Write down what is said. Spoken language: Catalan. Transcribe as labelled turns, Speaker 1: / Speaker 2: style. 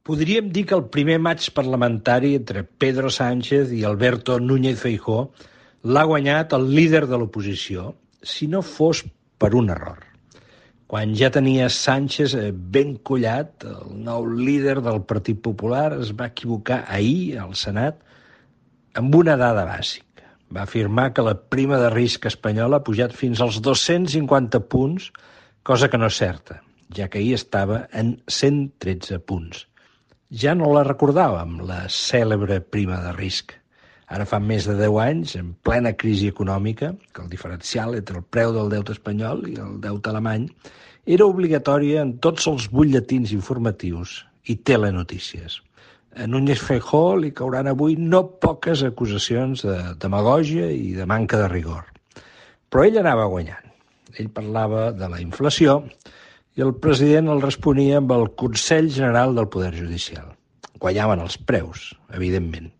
Speaker 1: Podríem dir que el primer matx parlamentari entre Pedro Sánchez i Alberto Núñez Feijóo l'ha guanyat el líder de l'oposició, si no fos per un error. Quan ja tenia Sánchez ben collat, el nou líder del Partit Popular es va equivocar ahir al Senat amb una dada bàsica. Va afirmar que la prima de risc espanyola ha pujat fins als 250 punts, cosa que no és certa, ja que ahir estava en 113 punts. Ja no la recordàvem, la cèlebre prima de risc. Ara fa més de 10 anys, en plena crisi econòmica, que el diferencial entre el preu del deute espanyol i el deute alemany era obligatòria en tots els butlletins informatius i telenotícies. A Núñez Feijóo li cauran avui no poques acusacions de demagògia i de manca de rigor. Però ell anava guanyant. Ell parlava de la inflació i el president el responia amb el Consell General del Poder Judicial. Guanyaven els preus, evidentment.